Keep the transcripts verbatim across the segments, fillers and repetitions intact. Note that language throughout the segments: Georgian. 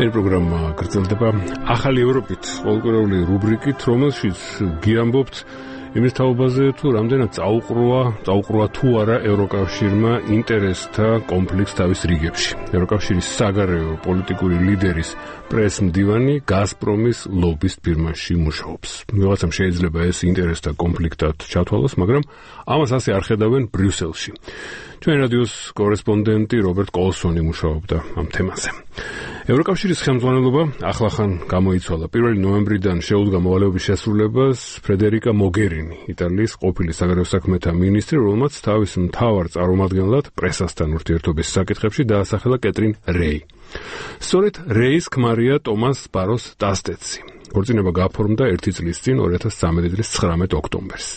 ჩვენი პროგრამა გრძელდება ახალი ევროპით, ყოველკვირეული რუბრიკით, რომელშიც გიამბობთ იმის თაობაზე, თუ რამდენად წაუყროა, წაუყროა თუ არა ევროკავშირმა ინტერესთა კონფლიქტს თავის რიგებში. ევროკავშირის საგარეო პოლიტიკური ლიდერის პრეს-მდივანი გაზპრომის ლობისტ ფირმაში მუშაობს. ვიღაცამ შეიძლება ეს ინტერესთა კონფლიქტად ჩათვალოს, მაგრამ ამას ასე არ ხედავენ ბრიუსელში. ჩვენი რადიოს კორესპონდენტი რობერტ კოლსონი მუშაობდა ამ თემაზე. ევროკავშირის ხელმძღვანელობა ახლახან გამოიცვალა. პირველი ნოემბრიდან შეუდგა მოვალეობის შესრულებას ფრედერიკა მოგერინი, იტალიის ყოფილი საგარეო საქმეთა მინისტრი, რომელმაც თავის მთავარ წარმომადგენლად პრესასთან ურთიერთობის საკითხებში დაასახელა კეტრინ რეი. სწორედ რეის ქმარია ტომას ბაროს დასტეცი. ქორწინება გაფორმდა ერთი წლის წინ, ორი ათას ცხრამეტი წლის ცხრამეტ ოქტომბერს.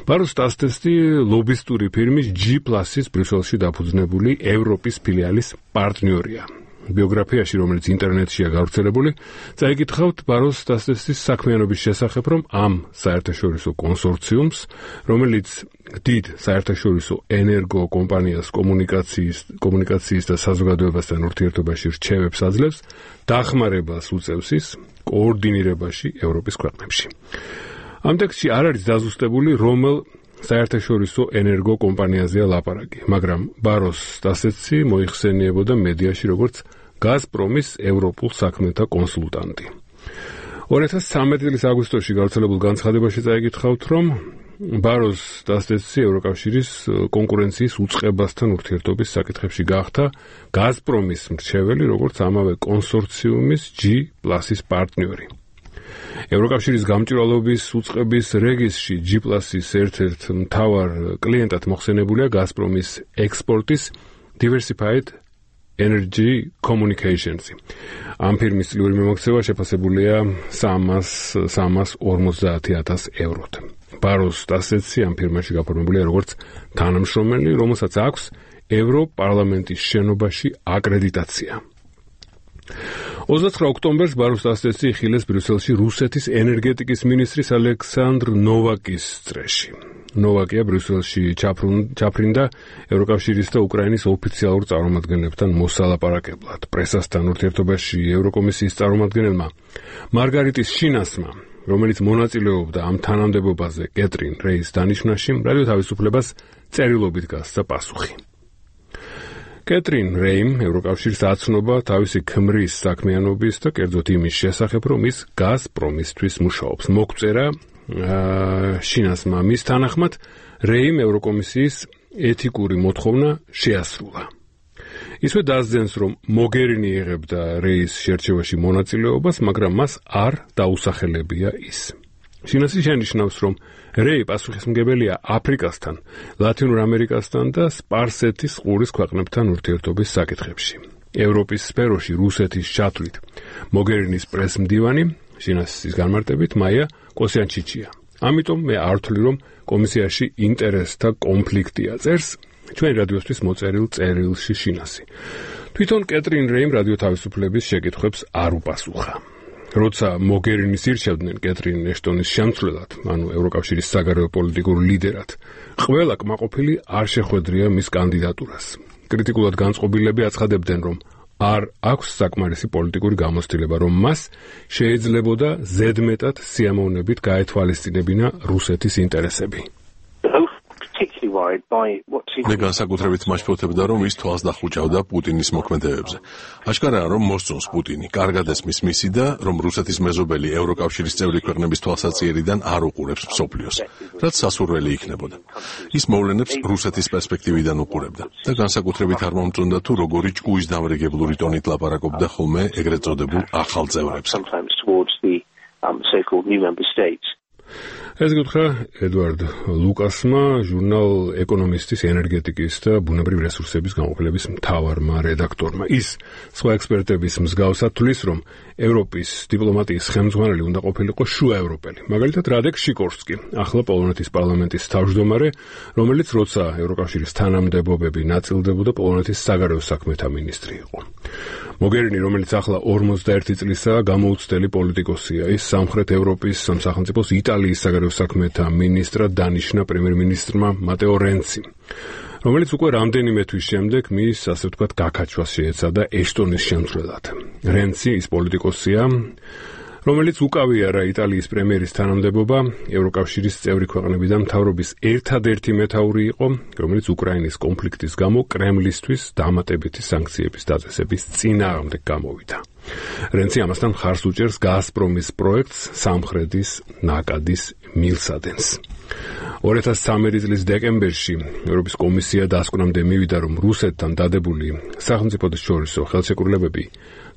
ბაროს დასტეცი ლობისტური ფირმის G Plus-ის ბრიუსელში დაფუძნებული ევროპის ფილიალის პარტნიორია. ბიოგრაფიაში, რომელიც ინტერნეტშია გავრცელებული, წაიკითხავთ ბაროს დასტეცის საქმიანობის შესახებ, რომ ამ საერთაშორისო კონსორციუმს, რომელიც დიდ საერთაშორისო ენერგო კომპანიას კომუნიკაციის, კომუნიკაციის და საზოგადოებასთან ურთიერთობაში რჩევებს აძლევს, დახმარებას უწევს ის კოორდინირებაში ევროპის ქვეყნებში. ამ ტექსტში არ არის დაზუსტებული, რომელ საერთაშორისო ენერგო კომპანიაზეა ლაპარაკი, მაგრამ ბაროს დასტეცი მოიხსენიებოდა მედიაში როგორც გაზპრომის ევროპულ საქმეთა კონსულტანტი. ორი ათას ცხრამეტი წლის აგვისტოში გავრცელებულ განცხადებაში წაიკითხავთ, რომ ბაროს დასტეცი ევროკავშირის კონკურენციის უწყებასთან ურთიერთობის საკითხებში გახდა გაზპრომის მრჩეველი, როგორც ამავე კონსორციუმის G Plus-ის პარტნიორი. ევროკავშირის გამჭვირვალობის უწყების რეგისტრში G Plus-ის ერთ-ერთ მთავარ კლიენტად მოხსენებულია გაზპრომის ექსპორტის Diversified Energy Communications. ამ ფირმის წლიური მიმოქცევა შეფასებულია სამას ორმოცდაათი ათას ევროთ. ბაროს დასტეცი ამ ფირმაში გაფორმებულია როგორც თანამშრომელი, რომელსაც აქვს ევროპარლამენტის შენობაში აკრედიტაცია. ოცდაცხრა ოქტომბერს ბაროს დასტეცი იხილეს ბრიუსელში რუსეთის ენერგეტიკის მინისტრის ალექსანდრ ნოვაკის წრეში. ნოვაკია ბრიუსელში ჩაფრინდა ევროკავშირის და უკრაინის ოფიციალურ წარმომადგენლებთან მოსალაპარაკებლად. პრესასთან ურთიერთობაში ევროკომისიის წარმომადგენელმა მარგარიტის შინასმა, რომელიც მონაწილეობდა ამ თანამდებობაზე კეტრინ რეის დანიშვნაში, რადიო თავისუფლებას წერილობით გასცა პასუხი. კეტრინ რეიმ ევროკავშირს აცნობა თავისი ქმრის საქმიანობის და კერძოდ იმის შესახებ, რომ ის გაზპრომისთვის მუშაობს. მოგწერა შინასმა მის თანახმად რეიმ ევროკომისიის ეთიკური მოთხოვნა შეასრულა. ისვე დასძენს, რომ მოგერინი იღებდა რეის შერჩევაში მონაწილეობას, მაგრამ მას არ დაუსახელებია ის. შინასი შენიშნავს, რომ რეი პასუხისმგებელია აფრიკასთან, ლათინურ ამერიკასთან და სპარსეთის ყურის ქვეყნებთან ურთიერთობის საკითხებში. ევროპის სფეროში რუსეთის ჩათვლით მოგერინის პრეს-მდივანი, შინასის განმარტებით, მაია კოსიანჩიჩია. ამიტომ მე არ ვთვლი, რომ კომისიაში ინტერესთა კონფლიქტია, წერს ჩვენი რადიოსთვის მოწერილ წერილში შინასი. თვითონ კეტრინ რეიმ რადიო თავისუფლების შეკითხვებს არ უპასუხა. როცა მოგერინის ირჩევდნენ კეტრინ ეშტონის შემცვლელად, ანუ ევროკავშირის საგარეო პოლიტიკურ ლიდერად, ყველა კმაყოფილი არ შეხვედრია მის კანდიდატურას. კრიტიკულად განწყობილები აცხადებდნენ, რომ არ აქვს საკმარისი პოლიტიკური გამოცდილება, რომ მას შეიძლებოდა ზედმეტად სიამოვნებით გაეთვალისწინებინა რუსეთის ინტერესები. მე განსაკუთრებით მაჩვენებდა, რომ ის თვალს დახუჭავდა პუტინის მოქმედებებზე. აშკარაა, რომ მოსწონს პუტინი, კარგად ესმის მისი და რომ რუსეთის მეზობელი ევროკავშირის წევრი ქვეყნების თვალსაჩინარიდან არ უყურებს მსოფლიოს, რაც სასურველი იქნებოდა. ის მოვლენებს რუსეთის პერსპექტივიდან უყურებდა და განსაკუთრებით არ მომწონდა თუ როგორი ჭკუის დამრიგებლური ტონით ლაპარაკობდა ხოლმე ეგრეთ წოდებულ ახალ წევრებს. ეს გითხრა ედვარდ ლუკასმა, ჟურნალ ეკონომისტის ენერგეტიკის და ბუნებრივი რესურსების გამოყენების მთავარმა რედაქტორმა. ის სხვა ექსპერტების მსგავსად თვლის, რომ ევროპის დიპლომატიის ხელმძღვანელი უნდა ყოფილიყო შუაევროპელი. მაგალითად, რადეკ შიკორსკი, ახლა პოლონეთის პარლამენტის თავმჯდომარე, რომელიც როცა ევროკავშირის თანამდებობები ნაწილდებოდა, პოლონეთის საგარეო საქმეთა მინისტრი იყო. მოგერინი, რომელიც ახლა ორმოცდაერთი წლისაა, გამოუცდელი პოლიტიკოსია. ის სამხრეთ ევროპის სახელმწიფოს იტალიის საგარეო საქმეთა მინისტრად დანიშნა პრემიერ-მინისტრმა მატეო რენციმ. რომელიც უკვე რამდენიმე თვის შემდეგ მის, ასე ვთქვათ, გაქაჩვას შეეცადა ეშტონის შემცვლელად. რენცი ის პოლიტიკოსია, რომელიც უკავია რა იტალიის პრემიერის თანამდებობა, ევროკავშირის წევრი ქვეყნებიდან მთავრობის ერთადერთი მეთაური იყო, რომელიც უკრაინის კონფლიქტის გამო კრემლისთვის დამატებითი სანქციების დაწესების წინააღმდეგ გამოვიდა. რენცი ამასთან ხარს უჭერს გაზპრომის პროექტს სამხრეთის ნაკადის მილსადენს. ორი ათას სამი წლის დეკემბერში ევროპის კომისია დასკვნამდე მივიდა, რომ რუსეთთან დადებული სახელმწიფოთა შორისო ხელშეკრულებები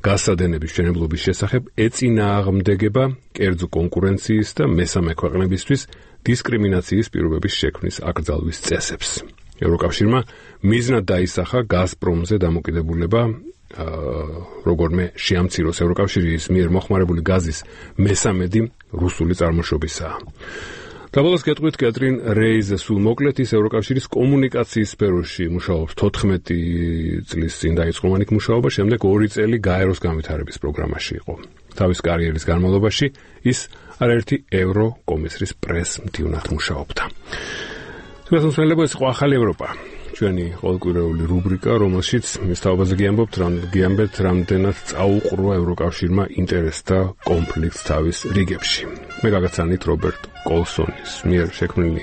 გაზსადენების მშენებლობის შესახებ ეწინააღმდეგება კერძო კონკურენციის და მესამე ქვეყნებისთვის დისკრიმინაციის პირობების შექმნის აკრძალვის წესებს. ევროკავშირმა მიზნად დაისახა გაზპრომზე დამოკიდებულება როგორმე შეამციროს ევროკავშირის მიერ მოხმარებული გაზის მესამედი რუსული წარმოშობისაა. Dabălos gătruit Catrin Reis sul მოკლედ ის ევროკავშირის კომუნიკაციის სფეროში მუშაობს თოთხმეტი წლის წინ დაიწყო მანიქ მუშაობა, შემდეგ ორი წელი გაეროს განვითარების პროგრამაში იყო. თავის კარიერის განმავლობაში ის არაერთი ევროკომისრის პრეს-მდივნად მუშაობდა. თუმცა ეს იყო ახალი ევროპა. ჩვენი ყოველკვირეული რუბრიკა, რომელშიც მის თაობაზე გიამბობთ, გიამბებთ რამდენად წაუყრა ევროკავშირმა ინტერესთა კონფლიქტს თავის რიგებში. მე გაგაცანით რობერტ კოლსონის მიერ შექმნილი